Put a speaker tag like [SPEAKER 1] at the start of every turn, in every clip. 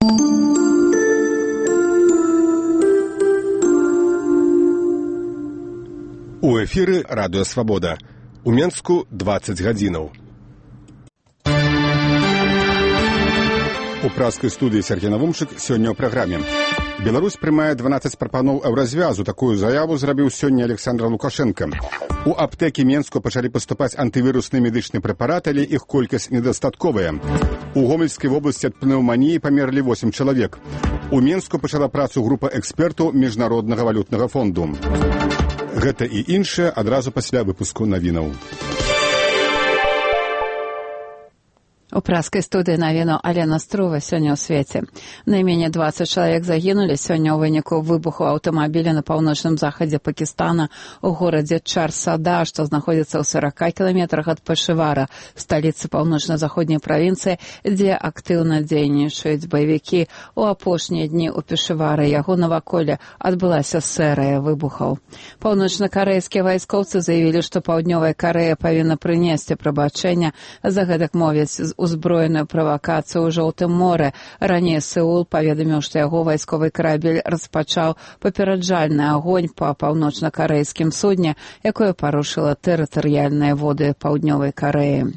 [SPEAKER 1] У эфіры радыё «Свабода». У Менску 20 гадзінаў. У праскай студыі Сергей Навумчык сёння ў праграме. Беларусь прымае 12 прапаноў еўразвязу. Такую заяву зрабіў сёння Александр Лукашенко. У аптэкі Менску пачалі паступаць антывірусныя медычныя прэпараты, але іх колькасць недастатковая. У Гомельскай вобласці ад пнеўманіі памерлі 8 чалавек. У Менску пачала працу група экспертаў Міжнароднага валютнага фонду. Гэта і іншае адразу пасля выпуску навінаў.
[SPEAKER 2] У праскай студыі навіну Алена Струва сёння ў свеце. Найменей 20 чалавек загінулі сёння ў выніку выбуху аўтамабіля на паўночным захадзе Пакістана у горадзе Чар-Сада, што знаходзіцца ў 40 кіламетрах ад Пешавара, сталіцы паўночна-заходняй правінцыі, дзе актыўна дзейнічаюць баевікі. У апошнія дні ў Пешавары яго наваколле адбылася серыя выбухаў. Паўночна-карэйскія вайскоўцы заявілі, што Паўднёвая Карэя павінна прынесці прабачэнне за гэтак мовіць узброеную правакацыю ў Жоўтым моры. Раней Сеул паведаміў, што яго вайсковы карабель распачаў папераджальны агонь па паўночна-карэйскім судне, якое парушыла тэрытарыяльныя воды Паўднёвай Карэі.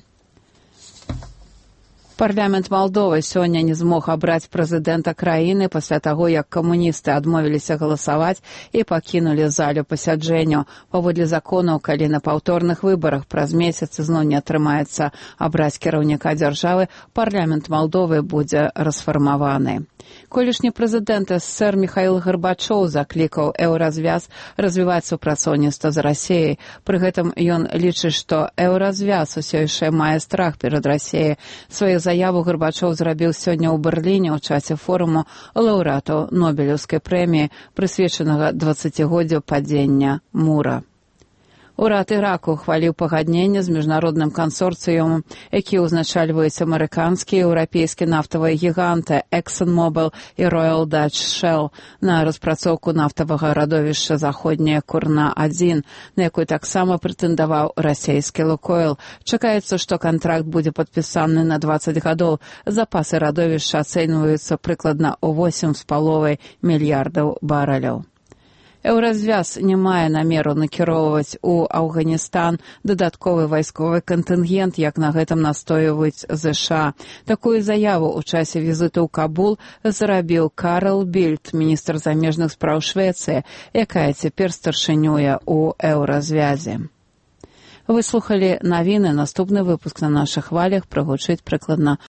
[SPEAKER 2] Парламент Малдовы сёння не змог абраць прэзідэнта краіны пасля таго, як камуністы адмовіліся галасаваць і пакінулі залю пасяджэнняў. Паводле законаў, калі на паўторных выбарах праз месяц зноў не атрымаецца абраць кіраўніка дзяржавы, парламент Малдовы будзе расфармаваны. Колішні прэзідэнт СССР Міхаіл Гарбачоў заклікаў еўразвяз развіваць супрацоўніцтва з Расіяй. Пры гэтым ён лічыць, што еўразвяз усё яшчэ мае страх перад Расіяй. Сваю заяву Гарбачоў зрабіў сёння ў Берліне ў часе форуму лаўрэатаў Нобелеўскай прэміі, прысвечанага 20-годдзю падзення мура. Урад Іраку ухваліў пагадненне з міжнародным кансорцыумам, які ўзначальваюць амерыканскі і еўрапейскі нафтавыя гіганты ExxonMobil і Royal Dutch Shell на распрацоўку нафтавага радовішча Заходняя Курна-1, на якую таксама прэтэндаваў расійскі Лукойл. Чакаецца, што кантракт будзе падпісаны на 20 гадоў. Запасы радовішча ацэньваюцца прыкладна ў 8,5 мільярдаў барэляў. Еўразвяз не мае намеру накіроўваць у Афганістан дадатковы вайсковы кантынгент, як на гэтым настойваюць ЗША. Такую заяву ў часе візіту ў Кабул зрабіў Карл Більд, міністр замежных спраў Швецыі, якая цяпер старшынюе ў еўразвязе. Вы слухалі навіны. Наступны выпуск на нашых хвалях прагучыць прыкладна